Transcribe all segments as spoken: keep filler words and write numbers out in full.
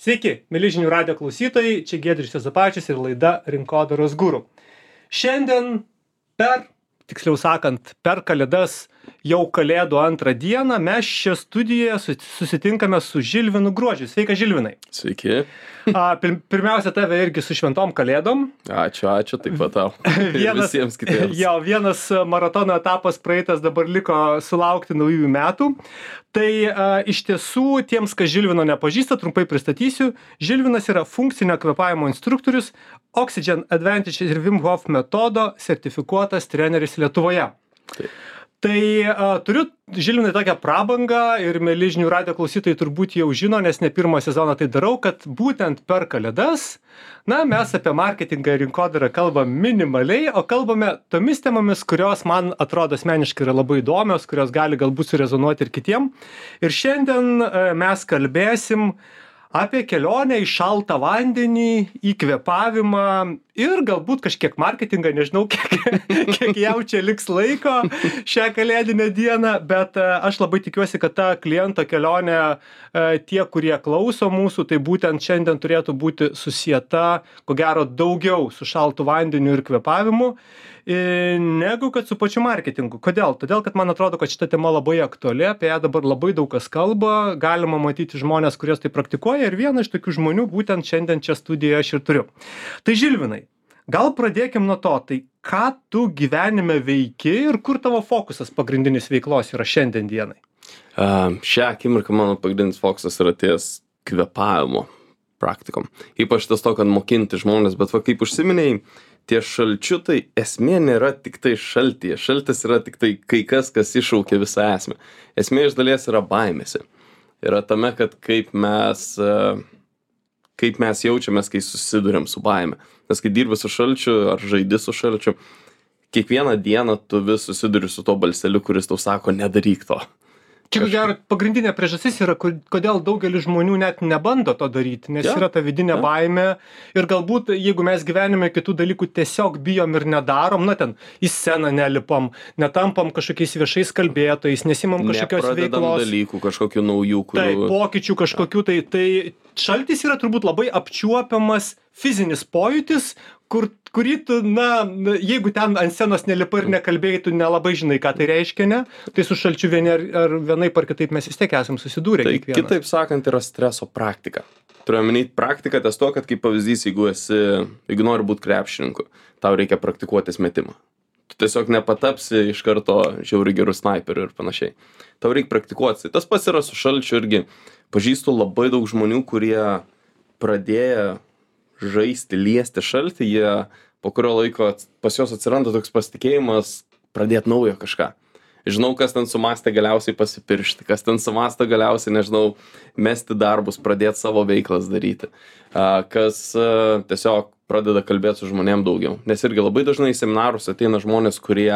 Sveiki, mieli žinių radijo klausytojai, čia Giedrius Juozapavičius ir laida Rinkodaros guru. Šiandien per, tiksliau sakant, per Kalėdas jau Kalėdų antrą dieną mes čia studijoje susitinkame su Žilvinu Gruodžiu. Sveika, Žilvinai. Sveiki. A, pir, pirmiausia, tave irgi su šventom Kalėdom. Ačiū, ačiū, taip pat tau. Vienas, visiems kitiems. Jo, vienas maratono etapas praeitas, dabar liko sulaukti naujųjų metų. Tai a, iš tiesų, tiems, kas Žilvino nepažįsta, trumpai pristatysiu. Žilvinas yra funkcinio kvėpavimo instruktorius, Oxygen Advantage ir Wim Hof metodo sertifikuotas treneris Lietuvoje. Taip. Tai a, turiu, Žilvinai, tokią prabangą ir mieli žinių radijo klausytojai turbūt jau žino, nes ne pirmą sezoną tai darau, kad būtent per Kalėdas, na, mes apie marketingą ir rinkodarą kalbam minimaliai, o kalbame tomis temomis, kurios man atrodo asmeniškai yra labai įdomios, kurios gali galbūt surezonuoti ir kitiem. Ir šiandien a, mes kalbėsim apie kelionę į šaltą vandenį, į kvėpavimą ir galbūt kažkiek marketingą, nežinau, kiek, kiek jau čia liks laiko šią kalėdinę dieną, bet aš labai tikiuosi, kad ta kliento kelionė, tie, kurie klauso mūsų, tai būtent šiandien turėtų būti susieta, ko gero, daugiau su šaltu vandeniu ir kvėpavimu, negu kad su pačiu marketingu. Kodėl? Todėl, kad man atrodo, kad šita tema labai aktuali, apie ją dabar labai daug kas kalba, galima matyti žmonės, kurios tai praktikuoja ir vieną iš tokių žmonių būtent šiandien čia studijoje aš ir turiu. Tai Žilvinai, gal pradėkim nuo to, tai ką tu gyvenime veiki ir kur tavo fokusas pagrindinis veiklos yra šiandien dienai? Uh, šią akimirką mano pagrindinis fokusas yra ties kvėpavimo praktikom. Ypač tas to, kad mokinti žmonės, bet va kaip užsiminėjai, tie šalčiutai esmė nėra tik tai šaltyje. Šaltis yra tik tai kai kas, kas iššaukia visą esmę. Esmė iš dalies yra baimėse. Yra tame, kad kaip mes, kaip mes jaučiamės, kai susiduriam su baime. Nes kai dirbi su šalčiu ar žaidi su šalčiu, kiekvieną dieną tu vis susiduri su to balseliu, kuris tau sako, nedaryk to. Čia, ko gero, pagrindinė priežastis yra, kodėl daugelis žmonių net nebando to daryti, nes ja. Yra ta vidinė ja. Baimė ir galbūt, jeigu mes gyvenime kitų dalykų tiesiog bijom ir nedarom, na ten į sceną nelipam, netampam kažkokiais viešais kalbėtojais, nesimam kažkokios veiklos. Dalykų, kažkokių naujų, kurių... Tai, pokyčių kažkokių, tai, tai šaltis yra turbūt labai apčiuopiamas fizinis pojūtis, kur, kurį tu, na, jeigu ten ant scenos nelipai ir nekalbėjai, tu nelabai žinai, ką tai reiškia, ne? Tai su šalčiu vieni ar, ar vienaip ar kitaip mes vis tiek esam susidūrę. Tai kiekvienas. Kitaip sakant, yra streso praktika. Turiu omeny praktiką ties to, kad kaip pavyzdys, jeigu esi, jeigu nori būti krepšininku, tau reikia praktikuotis metimą. Tu tiesiog nepatapsi iš karto žiauriai gerų snaiperių ir panašiai. Tau reikia praktikuotis. Tas pats yra su šalčiu irgi. Pažįstu labai daug žmonių, kurie pradėję žaisti, liesti šaltį, jie po kurio laiko pas juos atsiranda toks pasitikėjimas pradėti naujo kažką. Žinau, kas ten sumastė galiausiai pasipiršti, kas ten sumastė galiausiai, nežinau, mesti darbus, pradėti savo veiklas daryti, kas tiesiog pradeda kalbėti su žmonėm daugiau. Nes irgi labai dažnai į seminarus ateina žmonės, kurie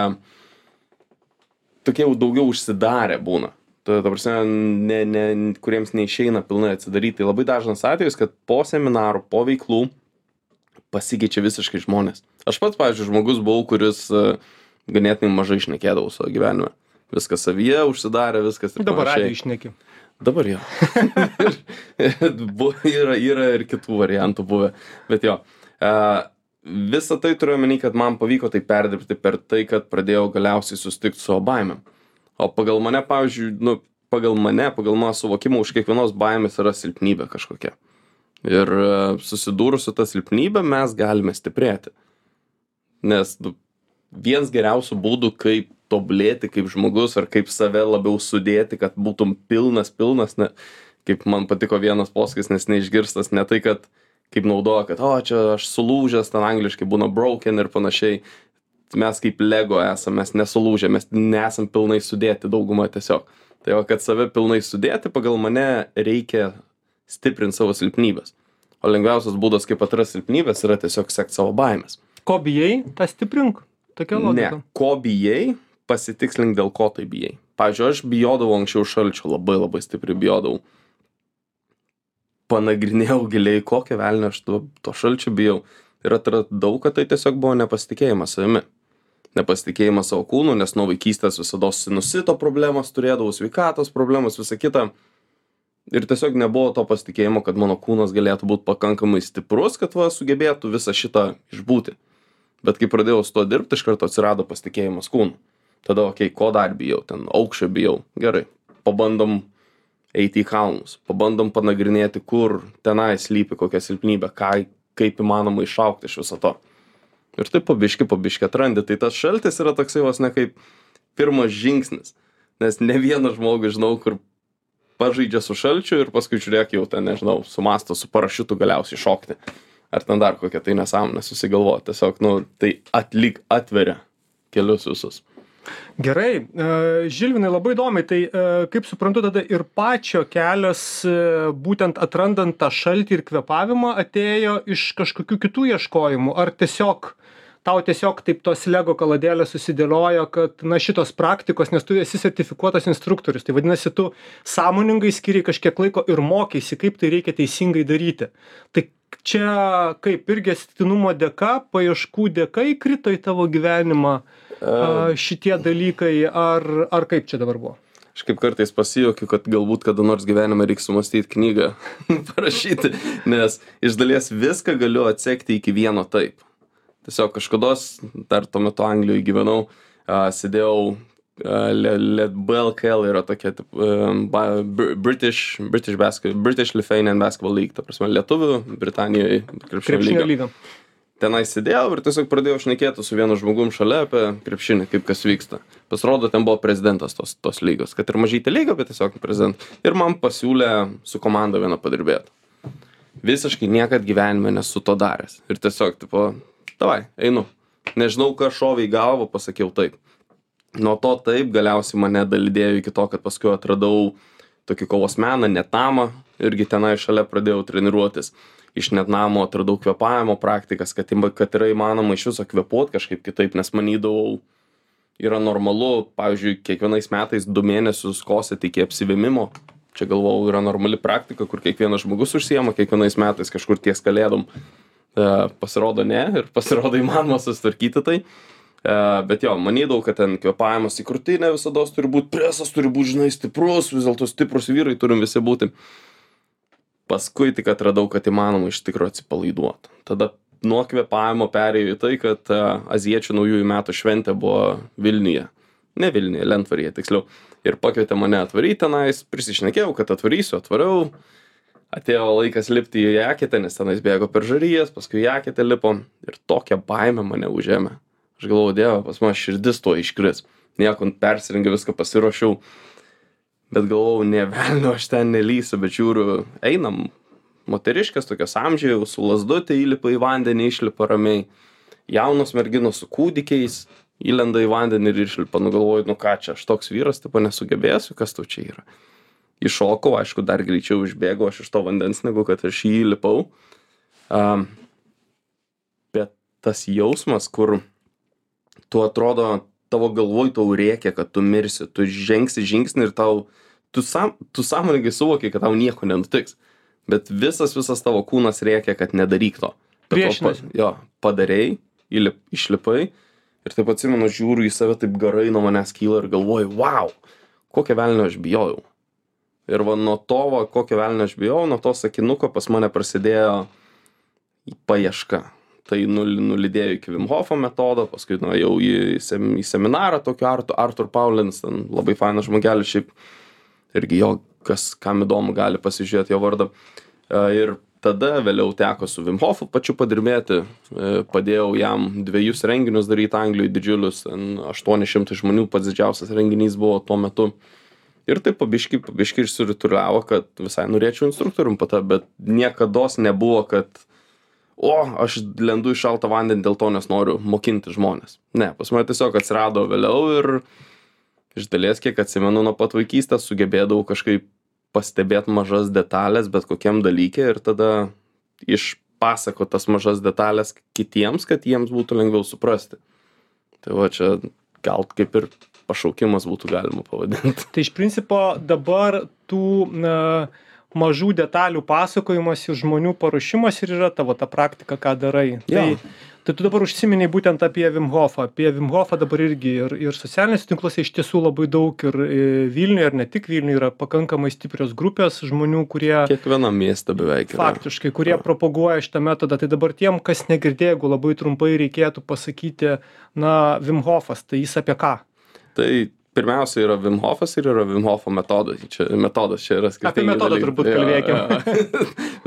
tokie jau daugiau užsidarę būna. Ta, ta prasme, ne, ne, kuriems neišeina pilnai atsidaryti. Tai labai dažnas atvejis, kad po seminarų, po veiklų pasikeičia visiškai žmonės. Aš pats, pavyzdžiui, žmogus buvau, kuris uh, ganėtinai mažai šnekėdavau savo gyvenime. Viskas savyje, užsidarė, viskas ir dabar panašiai. radijo išneki. Dabar jo. yra, yra ir kitų variantų buvę. Bet jo, uh, visą tai turiu omeny, kad man pavyko tai perdirbti per tai, kad pradėjau galiausiai susitikti su savo baimėm. O pagal mane, pavyzdžiui, nu, pagal mane, pagal mano suvokimą, už kiekvienos baimės yra silpnybė kažkokia. Ir susidūrus su ta silpnybė mes galime stiprėti. Nes nu, vienas geriausių būdų, kaip tobulėti kaip žmogus ar kaip save labiau sudėti, kad būtum pilnas, pilnas, ne, kaip man patiko vienas posakis, nes neišgirstas, ne tai, kad kaip naudoja, kad o, čia aš sulūžęs, ten angliškai būna broken ir panašiai. Mes kaip Lego esame, mes nesulūžę, mes nesam pilnai sudėti daugumą tiesiog. Tai o kad save pilnai sudėti, pagal mane reikia stiprinti savo silpnybės. O lengviausias būdas, kaip atrasti silpnybės, yra tiesiog sekti savo baimės. Ko bijai, tą stiprink. Tokia logika. Ne, ko bijai, pasitikslink, dėl ko tai bijai. Pavyzdžiui, aš bijodavau anksčiau šalčio, labai labai stipriai bijodavau. Panagrinėjau giliai, kokią velnę aš to, to šalčio bijau. Ir atradau, kad tai tiesiog buvo nepasitikėjimas savimi. Nepasitikėjimas savo kūnu, nes nuo vaikystės visada sinusito problemas turėdavau, sveikatos problemas, visą kitą. Ir tiesiog nebuvo to pasitikėjimo, kad mano kūnas galėtų būti pakankamai stiprus, kad va sugebėtų visą šitą išbūti. Bet kai pradėjau su to dirbti, iš karto atsirado pasitikėjimas kūnu. Tada, okei, okay, ko dar bijau, ten aukščio bijau. Gerai, pabandom eiti į kalnus, pabandom panagrinėti, kur tenai slypi kokia silpnybė, ką, kaip įmanoma išaugti iš viso to. Ir taip pabiški, pabiški atrandi. Tai tas šaltis yra toksai vos ne kaip pirmas žingsnis. Nes ne vieną žmogų žinau, kur pažaidžia su šalčiu ir paskui žiūrėk jau ten, nežinau, sumasto su parašiutu galiausiai šokti. Ar ten dar kokia tai nesąmonė susigalvo. Tiesiog, nu, tai atlik, atveria kelius visus. Gerai, Žilvinai, labai įdomiai, tai kaip suprantu, tada ir pačio kelias, būtent atrandant tą šaltį ir kvėpavimą, atėjo iš kažkokių kitų ieškojimų, ar tiesiog tau tiesiog taip tos Lego kaladėlės susidėliojo, kad na šitos praktikos, nes tu esi sertifikuotas instruktorius, tai vadinasi, tu sąmoningai skiriai kažkiek laiko ir mokeisi, kaip tai reikia teisingai daryti. Tai čia kaip irgi atsitiktinumo dėka, paieškų dėka įkrito į tavo gyvenimą a, šitie dalykai, ar, ar kaip čia dabar buvo? Aš kaip kartais pasijuokiu, kad galbūt kada nors gyvenime reiks sumastyti knygą, parašyti, nes iš dalies viską galiu atsekti iki vieno taip. Tiesiog kažkados, dar tuo metu Anglijoje gyvenau, uh, sėdėjau, uh, B L K L yra tokia uh, British, British, Basketball, British Lithuanian Basketball League, ta prasme Lietuvių, Britanijoje krepšinio lyga. Tenai sėdėjau ir tiesiog pradėjau šnekėti su vienu žmogum šalia apie krepšinį, kaip kas vyksta. Pasirodo, ten buvo prezidentas tos, tos lygos, kad ir mažytė lyga, bet tiesiog prezidentas. Ir man pasiūlė su komanda vieną padirbėti. Visiškai niekad gyvenime nesu to daręs. Ir tiesiog, tipo, davai, einu. Nežinau, ką šovė į galvą, pasakiau taip. Nuo to taip galiausiai mane dalydėjo iki to, kad paskui atradau tokį kovos meną, netnamą, irgi tenai šalia pradėjau treniruotis. Iš netnamo atradau kvėpavimo praktikas, kad, kad yra įmanoma iš viso kvėpuoti kažkaip kitaip, nes manydavau, yra normalu, pavyzdžiui, kiekvienais metais du mėnesius kosėti iki apsivėmimo. Čia galvojau, yra normali praktika, kur kiekvienas žmogus užsiema kiekvienais metais kažkur ties kalėdom. E, pasirodo ne, ir pasirodo įmanoma susitvarkyti tai. E, bet jo, manydavau, kad ten kvėpavimas į krūtinę visada turi būti, presas turi būti, žinai, stiprus, vis dėlto stiprus vyrai turim visi būti. Paskui tik atradau, kad įmanoma iš tikrųjų atsipalaiduoti. Tada nuo kvėpavimo perėjau į tai, kad e, azijiečių naujųjų metų šventė buvo Vilniuje. Ne Vilniuje, Lentvaryje tiksliau. Ir pakvietė mane atvaryti tenais, prisišnekėjau, kad atvarysiu, atvariau. Atėjo laikas lipti į jaketę, nes tenais bėgo per žarijas, paskui jaketę lipo ir tokia baimė mane užėmė. Aš galvoju, Dieve, pas man širdis tuo iškris. Nieko persirengiau, viską pasiruošiau. Bet galvojau, ne velnio, aš ten nelysiu, bet žiūriu, einam, moteriškės tokios amžiai, su lazdutė įlipa į vandenį, išlipa ramiai. Jaunos merginos su kūdikiais įlenda į vandenį ir išlipa. Nu galvoju, nu ką čia, aš toks vyras, tipo nesugebėsiu, kas tau čia yra. Iššokau, aišku, dar greičiau išbėgau aš iš to vandens, negu kad aš jį įlipau. Um, bet tas jausmas, kur tu atrodo, tavo galvoj tau rėkia, kad tu mirsi, tu žengsi žingsnį ir tau, tu, sam, tu sąmoningai suvoki, kad tau nieko nenutiks. Bet visas, visas tavo kūnas rėkia, kad nedaryk to. Priešinasi. Jo, padarei, įlip, išlipai ir taip atsimenu, žiūriu į save, taip garai nuo manęs kyla ir galvoju, wow, kokią velnio aš bijojau. Ir va nuo to, va, kokią velnio aš bijojau, nuo to sakinuko pas mane prasidėjo paieška. Tai nulydėjo iki Wim Hofo metodo, paskui nu, jau į, sem, į seminarą tokio Artur, Artur Paulins, ten labai fainas žmogelis, šiaip irgi jo, kas kam įdomu, gali pasižiūrėti jo vardą. Ir tada vėliau teko su Wim Hofu pačiu padirbėti, padėjau jam dviejus renginius daryti Anglijoje didžiulius, aštuoni šimtai žmonių, pats didžiausias renginys buvo tuo metu. Ir taip pabiški, pabiški išsirituliavo, kad visai norėčiau instruktorium pata, bet niekados nebuvo, kad o, aš lendu į šaltą vandenį dėl to, nes noriu mokinti žmonės. Ne, pas mane tiesiog atsirado vėliau ir iš dalies, kiek atsimenu nuo pat vaikystės, sugebėdavau kažkaip pastebėti mažas detalės, bet kokiam dalykė ir tada išpasakot tas mažas detalės kitiems, kad jiems būtų lengviau suprasti. Tai va čia gal kaip ir pašaukimas būtų galima pavadinti. Tai iš principo dabar tų na, mažų detalių pasakojimas ir žmonių paruošimas ir yra tavo ta praktika, ką darai. Jo. Tai, tai tu dabar užsiminiai būtent apie Wim Hofą. Apie Wim Hofą dabar irgi ir, ir socialiniuose tinkluose iš tiesų labai daug ir Vilniuje, ir ne tik Vilniuje yra pakankamai stiprios grupės žmonių, kurie... Kiekvienam mieste beveik yra. Faktiškai, kurie propaguoja šitą metodą. Tai dabar tiem, kas negirdėjo, jeigu labai trumpai reikėtų pasakyti, na, Wim Hofas, tai jis apie ką? Tai pirmiausia yra Wim Hofas ir yra Wim Hofo metodas. Čia metodas, čia yra skirtingi. Apie metodą dalykai. turbūt kalbėkim.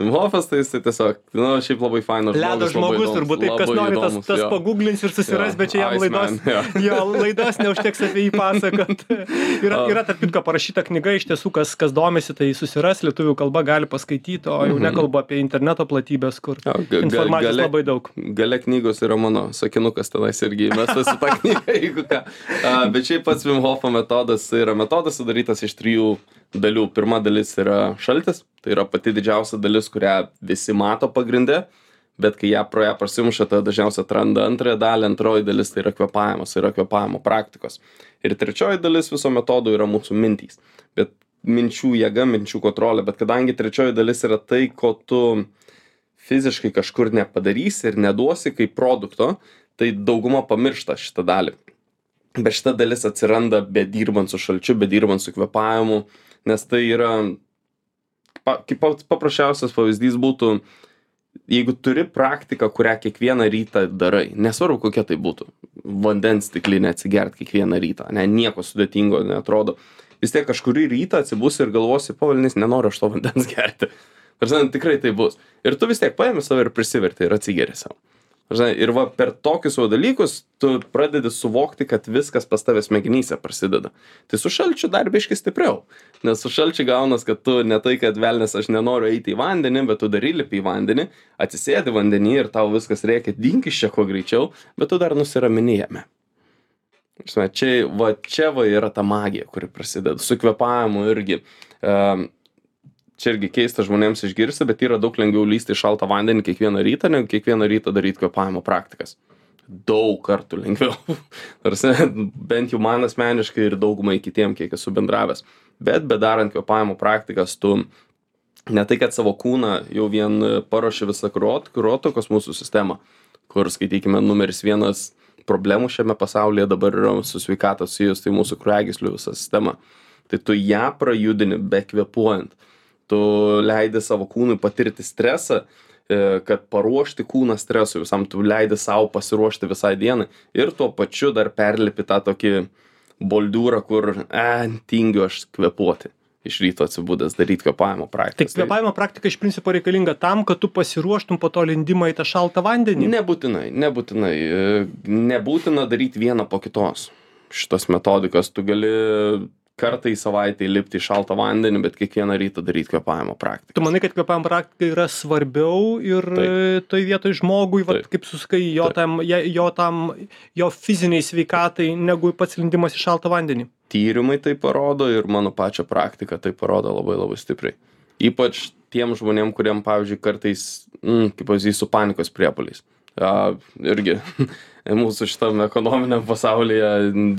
Wim Hofas tai jis tai tiesiog, nu, šiaip labai fainas žmogus. Ledo žmogus įdomus, turbūt, taip kas nori, tas, tas jo. pagooglins ir susiras, Jo, bet čia jam laidos, Iceman, jo. jo, laidos neužteks apie jį pasakot. Yra, yra tarp kitko parašyta knyga, iš tiesų, kas, kas domisi, tai susiras, lietuvių kalba gali paskaityti, o jau nekalbu apie interneto platybės, kur Jo, ga- informacijos gale- labai daug. Gale knygos yra mano sakinukas tenais irgi įmestas į tą knygą, jeigu ką. A, bet šiaip pats Wim Hofo metodas tai yra metodas sudarytas iš trijų dalių. Pirma dalis yra šaltis, tai yra pati didžiausia dalis, kurią visi mato pagrinde, bet kai ją pro ją prasimuša, tada dažniausiai atranda antrąją dalį, antroji dalis tai yra kvėpavimas, tai yra kvėpavimo praktikos. Ir trečioji dalis viso metodo yra mūsų mintys. Bet minčių jėga, minčių kontrolė, bet kadangi trečioji dalis yra tai, ko tu fiziškai kažkur nepadarysi ir neduosi kaip produkto, tai dauguma pamiršta šitą dalį. Bet šita dalis atsiranda bedirbant su šalčiu, bedirbant su kvėpavimu, nes tai yra, pa, kaip paprasčiausias pavyzdys būtų, jeigu turi praktiką, kurią kiekvieną rytą darai, nesvarbu kokia tai būtų, vandens stiklinę atsigert kiekvieną rytą, ne, nieko sudėtingo neatrodo, vis tiek kažkurį rytą atsibusi ir galvosi, pavalnys, nenoriu aš to vandens gerti. Žinai, tikrai tai bus. Ir tu vis tiek paėmi save ir prisiverti ir atsigeri savo. Žinai, ir va per tokius savo dalykus tu pradedi suvokti, kad viskas pas tavęs smegenyse prasideda. Tai su šalčiu dar biški stipriau. Nes su šalčiu gaunas, kad tu ne tai, kad velnės aš nenoriu eiti į vandenį, bet tu dar įlipi į vandenį, atsisėdi vandenį ir tau viskas reikia, dink iš čia kuo greičiau, bet tu dar nusiramini jame. Žinai, čia, va, čia va yra ta magija, kuri prasideda. Su kvėpavimu irgi. Um, Čia irgi keista žmonėms išgirsti, bet yra daug lengviau lysti į šaltą vandenį kiekvieną rytą, negu kiekvieną rytą daryti kvėpavimo praktikas. Daug kartų lengviau. Tarsi, bent jau man asmeniškai ir daugumai kitiem, kiek esu bendravęs. Bet bedarant kvėpavimo praktikas, tu ne tai, kad savo kūną jau vien paruoši visą kraujotakos mūsų sistemą, kur, skaitykime, numeris vienas problemų šiame pasaulyje dabar yra su sveikata susijus, tai mūsų kraujagyslių visa sistema. Tai tu ją prajudini be kvėpuojant. Tu leidi savo kūnui patirti stresą, kad paruošti kūną stresui visam, tu leidi savo pasiruošti visai dienai ir tuo pačiu dar perlipi tą tokį boldiūrą, kur, e, tingiu aš kvėpuoti. Iš ryto atsibūdęs daryti kvėpavimo praktikas. Tai kvėpavimo praktika iš principo reikalinga tam, kad tu pasiruoštum po to lindimą į tą šaltą vandenį? Nebūtinai, nebūtinai. Nebūtina daryti vieną po kitos. Šitas metodikas tu gali kartą į savaitę įlipti į šaltą vandenį, bet kiekvieną rytą daryti kvėpavimo praktiką. Tu manai, kad kvėpavimo praktika yra svarbiau ir Taip. toj vietoj žmogui, va, Taip. kaip suskai, jo tam, jo tam, jo fiziniai sveikatai, negu pats lindimas į šaltą vandenį? Tyrimai tai parodo ir mano pačią praktiką tai parodo labai labai stipriai. Ypač tiem žmonėm, kuriem, pavyzdžiui, kartais, mm, kaip pavyzdys, su panikos priepuoliais. Ja, irgi mūsų šitam ekonominiam pasaulyje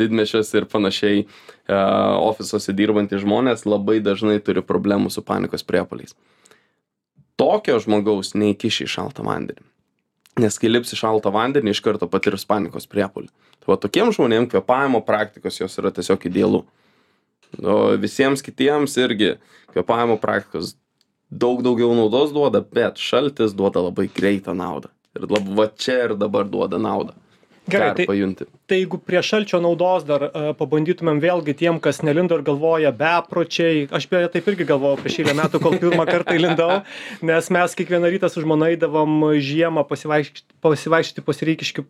didmiesčiuose ir panašiai ja, ofisuose dirbantys žmonės labai dažnai turi problemų su panikos priepuoliais. Tokio žmogaus neįkiši į šaltą vandenį. Nes kai lips į šaltą vandenį, iš karto patirs panikos priepuolį. Tai va, tokiem žmonėm kvėpavimo praktikos jos yra tiesiog idealu. O visiems kitiems irgi kvėpavimo praktikos daug daugiau naudos duoda, bet šaltis duoda labai greitą naudą. Ir lab, va čia ir dabar duoda naudą. Gerai, tai, pajunti. Tai jeigu prie šalčio naudos dar uh, pabandytumėm vėlgi tiem, kas nelindo ir galvoja bepročiai, aš beje taip irgi galvojau prieš eilę metų, kol pirmą kartą įlindau, nes mes kiekvieną rytą su žmona eidavom žiemą pasivaikščioti, pasivaikščioti po Sireikiškių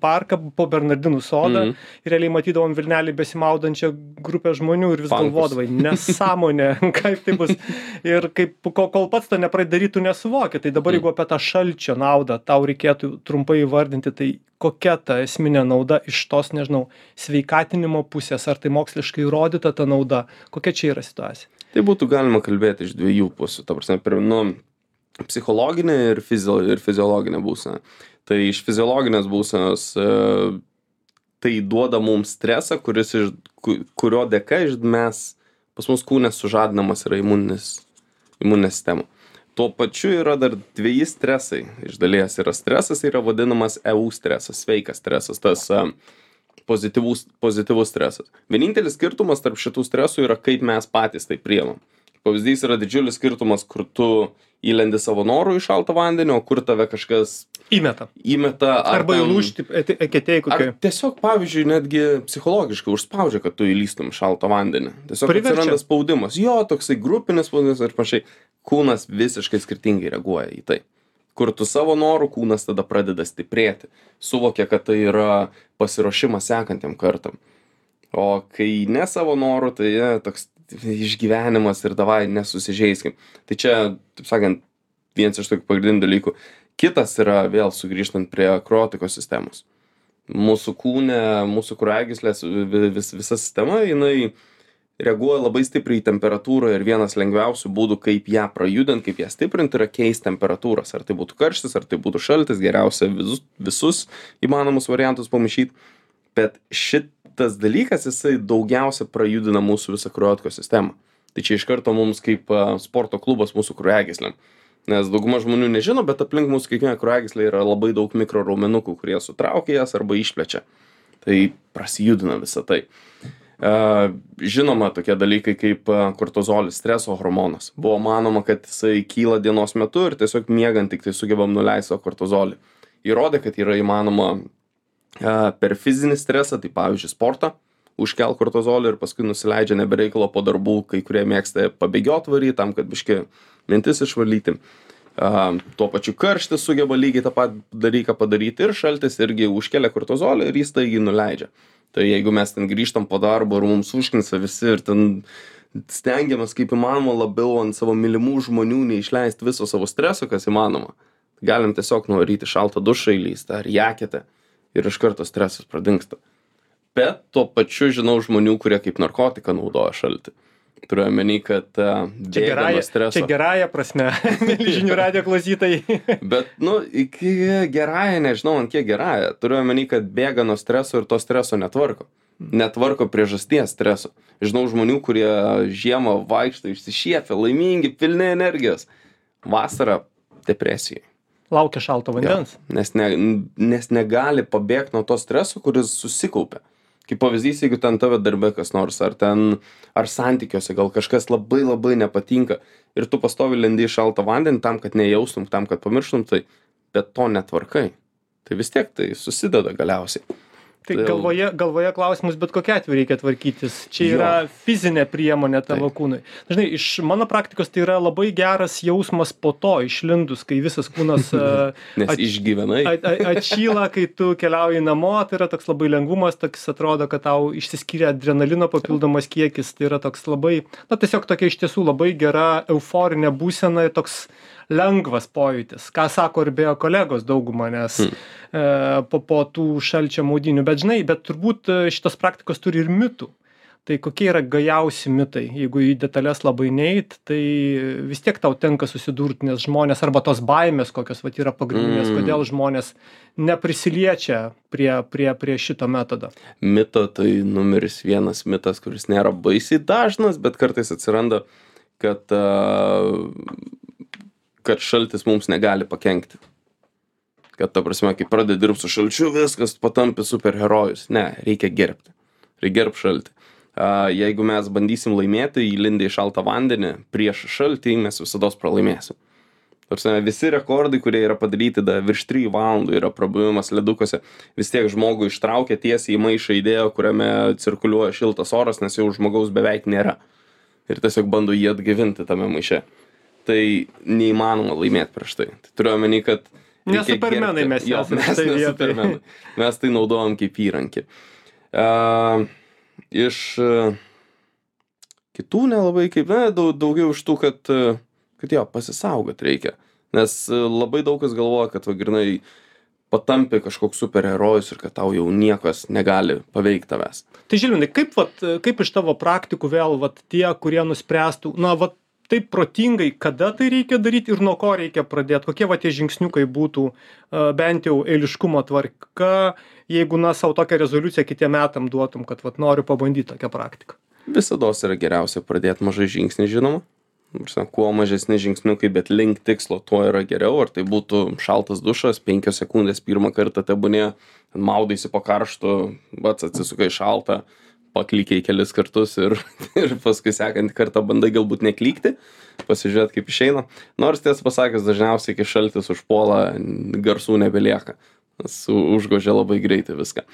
parką, po Bernardinų sodą mm. ir realiai matydavom Vilnelį besimaudančią grupę žmonių ir vis Pankus. galvodavai, nesąmonė, kaip tai bus. Ir kaip, kol pats to nepradarytų nesuvoki, tai dabar mm. jeigu apie tą šalčio naudą tau reikėtų trumpai įvardinti, tai kokia ta esminė nauda iš tos, nežinau, sveikatinimo pusės, ar tai moksliškai įrodyta ta nauda, kokia čia yra situacija? Tai būtų galima kalbėti iš dviejų pusių, ta prasme, per, nu, psichologinė ir, fizio, ir fiziologinė būsena. Tai iš fiziologinės būsenos e, tai duoda mums stresą, kuris iš, kurio dėka iš mes, pas mus kūne sužadinamas yra imuninis, imuninę sistemą. Tuo pačiu yra dar dveji stresai. Iš dalies yra stresas, yra vadinamas E U stresas, sveikas stresas, tas a, pozityvus, pozityvus stresas. Vienintelis skirtumas tarp šitų stresų yra, kaip mes patys tai priimam. Pavyzdys yra didžiulis skirtumas, kur tu įlendi savo norų į šaltą vandenį, o kur tave kažkas Įmeta. įmeta. Ar Arba ten- įlūžti eketėjai kokie. Ar tiesiog, pavyzdžiui, netgi psichologiškai užspaudžia, kad tu įlystum į šaltą vandenį. Tiesiog Priverčia. atsiranda spaudimas. Jo, toksai grupinis spaudimas ir panašiai. Kūnas visiškai skirtingai reaguoja į tai. Kur tu savo norų, kūnas tada pradeda stiprėti. Suvokia, kad tai yra pasiruošimas sekantiem kartam. O kai ne savo norų, tai ja, toks išgyvenimas ir davai nesusižeiskim. Tai čia, taip sakant, vienas iš tokių pagrindinių dalykų. Kitas yra vėl sugrįžtant prie kraujotakos sistemos. Mūsų kūne, mūsų kraujagyslės, vis, visa sistema, jinai reaguoja labai stipriai į temperatūrą ir vienas lengviausių būdų, kaip ją prajudinti, kaip ją stiprinti, yra keisti temperatūras. Ar tai būtų karštis, ar tai būtų šaltis, geriausia visus, visus įmanomus variantus pamaišyti. Bet šitas dalykas, jisai daugiausia prajudina mūsų visą kraujotakos sistemą. Tai čia iš karto mums kaip a, sporto klubas mūsų kraujagyslėm. Nes dauguma žmonių nežino, bet aplink mūsų kiekvieną kraujagyslę yra labai daug mikroraumenukų, kurie sutraukia jas arba išplečia. Tai prasijudina visą tai. Uh, žinoma, tokie dalykai kaip uh, kortizolis, streso hormonas. Buvo manoma, kad jisai kyla dienos metu ir tiesiog miegant tik tai sugebam nuleisti savo kortizolį. Įrodė, kad yra įmanoma uh, per fizinį stresą, tai pavyzdžiui sportą, užkel kortizolį ir paskui nusileidžia nebereikalo po darbų, kai kurie mėgsta pabėgiot varyti tam, kad biški mintis išvalyti. Uh, tuo pačiu karštis sugeba lygiai tą patį dalyką padaryti ir šaltis irgi užkelia kortizolį ir jis taigi nuleidžia. Tai jeigu mes ten grįžtam po darbo ir mums užknisa visi ir ten stengiamės kaip įmanoma labiau ant savo mylimų žmonių neišleisti viso savo streso, kas įmanoma, galim tiesiog nuvaryti šaltą dušą įlįsti ar jaketę ir iš karto stresas pradingsta. Bet tuo pačiu žinau žmonių, kurie kaip narkotiką naudoja šaltį. Turiu omeny, kad uh, Čia gerąją, streso. čia gerąją prasme, žinių radijo klausytojai. Bet, nu, iki gerąją, nežinau, ant kiek gerąją. Turiu omeny, kad bėga nuo streso ir to streso netvarko. Netvarko priežasties streso. Žinau žmonių, kurie žiemą vaikšto išsišiepę, laimingi, pilni energijos. Vasarą depresijai. Laukia šalto vandens. Jo, nes, ne, nes negali pabėgti nuo to streso, kuris susikaupia. Kaip pavyzdys, jeigu ten tave darbe kas nors, ar ten, ar santykiuose gal kažkas labai labai nepatinka ir tu pastovi lendi į šaltą vandenį tam, kad nejaustum, tam, kad pamirštum, tai bet to netvarkai. Tai vis tiek tai susideda galiausiai. Tai galvoje, galvoje klausimus, bet kokia atveju reikia tvarkytis. Čia yra jo. Fizinė priemonė tavo Taip. Kūnui. Dažnai iš mano praktikos tai yra labai geras jausmas po to išlindus, kai visas kūnas Nes at, išgyvenai. At, at, atšyla, kai tu keliauji namo, tai yra toks labai lengvumas, toks atrodo, kad tau išsiskiria adrenalino papildomas kiekis, tai yra toks labai, na tiesiog tokia iš tiesų labai gera euforinė būsena, toks lengvas pojūtis, ką sako ir beje kolegos dauguma, nes hmm. e, po, po tų šalčio maudynių, bet žinai, bet turbūt šitos praktikos turi ir mitų. Tai kokie yra gajausi mitai? Jeigu į detalės labai neit, tai vis tiek tau tenka susidurti, nes žmonės, arba tos baimės, kokios vat yra pagrindinės, mm. kodėl žmonės neprisiliečia prie, prie, prie šito metodo. Mito tai numeris vienas mitas, kuris nėra baisiai dažnas, bet kartais atsiranda, kad, kad šaltis mums negali pakenkti. Kad ta prasme, kai pradedi dirbti su šalčiu, viskas patampi superherojus. Ne, reikia gerbti. Reikia gerbti šaltį. Uh, jeigu mes bandysim laimėti įlindę į šaltą vandenį prieš šaltį, mes visados pralaimėsim. Tarsi, visi rekordai, kurie yra padaryti da, virš trijų valandų, yra prabuvimas ledukose, vis tiek žmogų ištraukia tiesiai į maišą įdėjo, kuriame cirkuliuoja šiltas oras, nes jau žmogaus beveik nėra. Ir tiesiog bando jį atgavinti tame maiše. Tai neįmanoma laimėti prieš tai. Tai turiu omeny, kad ne supermenai mes jo, mes ne supermenai. Mes tai naudojam kaip įrankį. Uh, iš uh, kitų nelabai kaip, ne, daug, daugiau iš tų, kad, uh, kad jo, pasisaugot reikia. Nes uh, labai daug kas galvoja, kad va, grinai patampi kažkoks superherojus ir kad tau jau niekas negali paveikti tavęs. Tai Žilvinai, kaip, vat, kaip iš tavo praktikų vėl vat, tie, kurie nuspręstų, na, vat, taip protingai, kada tai reikia daryti ir nuo ko reikia pradėti, kokie va tie žingsniukai būtų uh, bent jau eiliškumo tvarka, jeigu na savo tokią rezoliuciją kitiem metam duotum, kad vat noriu pabandyti tokią praktiką. Visados yra geriausia pradėti mažai žingsnį, žinoma, Prasme, kuo mažesni žingsniukai, bet link tikslo, tuo yra geriau. Ar tai būtų šaltas dušas, penkios sekundės pirmą kartą tebūnė, maudaisi po karštu, pats atsisukai šaltą, paklykiai kelis kartus ir, ir paskui sekantį kartą bandai galbūt neklykti, pasižiūrėti kaip išeina. Nors tiesą pasakęs, dažniausiai kai šaltis užpuola, garsų nebelieka, su, užgožia labai greitai viską.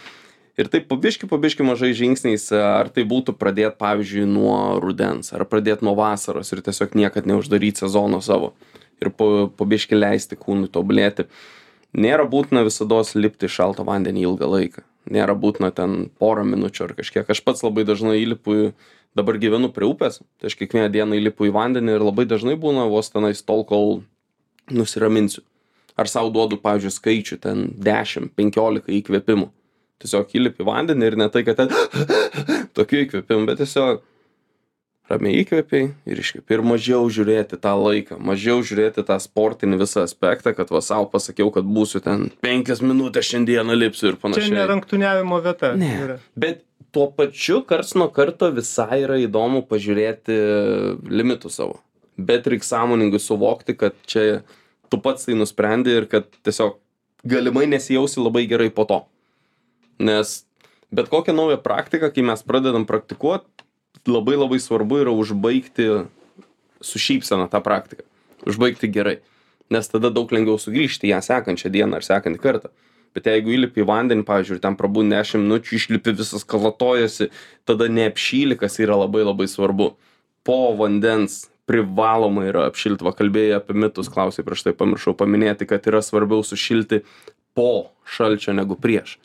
Ir taip pabiški, pabiški mažai žingsniais, ar tai būtų pradėti, pavyzdžiui, nuo rudens, ar pradėti nuo vasaros ir tiesiog niekad neuždaryti sezono savo ir pabiški leisti kūnui tobulėti. Nėra būtina visados lipti į šaltą vandenį ilgą laiką. Nėra būtina ten porą minučių ar kažkiek. Aš pats labai dažnai įlipu, dabar gyvenu prie upės, tai aš kiekvieną dieną įlipu į vandenį ir labai dažnai būna vos tenais tol, kol nusiraminsiu. Ar sau duodu, pavyzdžiui, skaičių ten dešimt penkiolika įkvėpimų. Tiesiog įlipi į vandenį ir ne tai, kad ten tokių įkvėpimų, bet tiesiog ramiai įkvėpiai ir iškvėpi. Ir mažiau žiūrėti tą laiką, mažiau žiūrėti tą sportinį visą aspektą, kad va sau pasakiau, kad būsiu ten penkias minutės šiandieną lipsiu ir panašiai. Čia neranktuoniavimo vieta. Ne, yra. Bet tuo pačiu karts nuo karto visai yra įdomu pažiūrėti limitų savo. Bet reikia sąmoningai suvokti, kad čia tu pats tai nusprendi ir kad tiesiog galimai nesijausi labai gerai po to. Nes bet kokią naują praktiką, kai mes pradedam praktikuoti, labai labai svarbu yra užbaigti su šypsena tą praktiką. Užbaigti gerai. Nes tada daug lengviau sugrįžti ją sekančią dieną ar sekantį kartą. Bet jeigu įlipi į vandenį, pavyzdžiui, ten prabūni dešimt minučių, išlipi visas kalatojasi, tada neapšyli, kas yra labai labai svarbu. Po vandens privaloma yra apšilti. Va, kalbėjai apie mitus, klausai prieš tai pamiršau paminėti, kad yra svarbiau sušilti po šalčio negu prieš.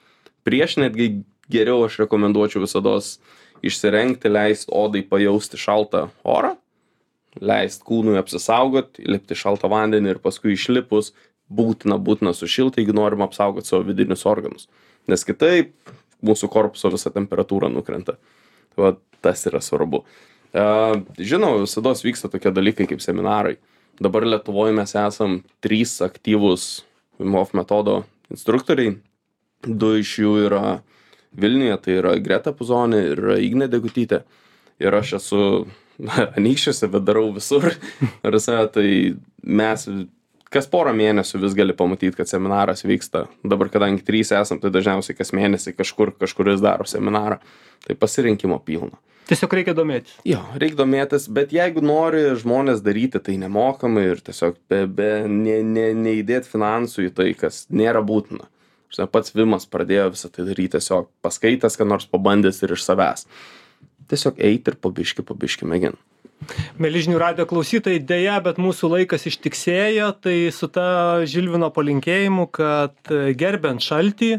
Prieš netgi geriau aš rekomenduočiau visados išsirengti, leisti odai pajausti šaltą orą, leisti kūnui apsisaugoti, įlipti šaltą vandenį ir paskui išlipus būtina, būtina sušilti, jeigu norim apsaugoti savo vidinius organus. Nes kitaip mūsų korpuso visa temperatūra nukrenta. Va, tas yra svarbu. Žinau, visados vyksta tokie dalykai kaip seminarai. Dabar Lietuvoje mes esam trys aktyvūs Wim Hof metodo instruktoriai. Du iš jų yra Vilniuje, tai yra Greta Puzonė ir Ignė Degutytė. Ir aš esu anykščiuose, bet darau visur. Ir tai mes kas porą mėnesių vis gali pamatyti, kad seminaras vyksta. Dabar, kadangi trys esam, tai dažniausiai kas mėnesį kažkur kažkuris daro seminarą. Tai pasirinkimo pilna. Tiesiog reikia domėtis. Jo, reikia domėtis, bet jeigu nori žmonės daryti tai nemokamai ir tiesiog be, be, ne, ne, neįdėti finansų į tai, kas nėra būtina. Žinai, pats Vimas pradėjo visą tai daryti tiesiog paskaitęs, kad nors pabandęs ir iš savęs. Tiesiog eiti ir pabiški, pabiški mėgin. Mieli žinių radijo klausytojai, deja, bet mūsų laikas ištiksėjo, tai su ta Žilvino palinkėjimu, kad gerbiant šaltį,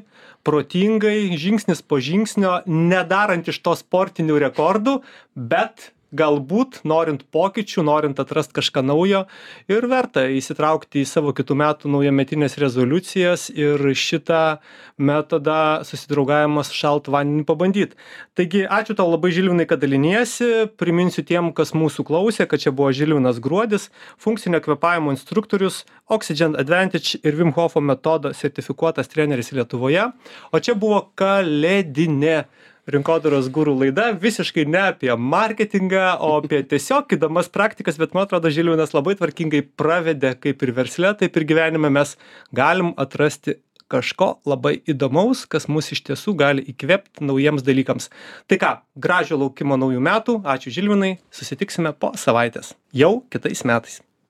protingai, žingsnis po žingsnio, nedarant iš to sportinių rekordų, bet galbūt norint pokyčių, norint atrasti kažką naujo ir verta įsitraukti į savo kitų metų naujametinės rezoliucijas ir šitą metodą susidraugavimas šaltą vandenį pabandyti. Taigi, ačiū tau labai, Žilvinai, kad daliniesi. Priminsiu tiem, kas mūsų klausė, kad čia buvo Žilvinas Gruodis, funkcinio kvėpavimo instruktorius, Oxygen Advantage ir Wim Hofo metodo sertifikuotas treneris Lietuvoje. O čia buvo kalėdinė Rinkodaros gurų laida, visiškai ne apie marketingą, o apie tiesiog įdomas praktikas, bet man atrodo, Žilvinas labai tvarkingai pravedė kaip ir versle, taip ir gyvenime mes galim atrasti kažko labai įdomaus, kas mus iš tiesų gali įkvėpti naujiems dalykams. Tai ką, gražio laukimo naujų metų, ačiū Žilvinai, susitiksime po savaitės, jau kitais metais.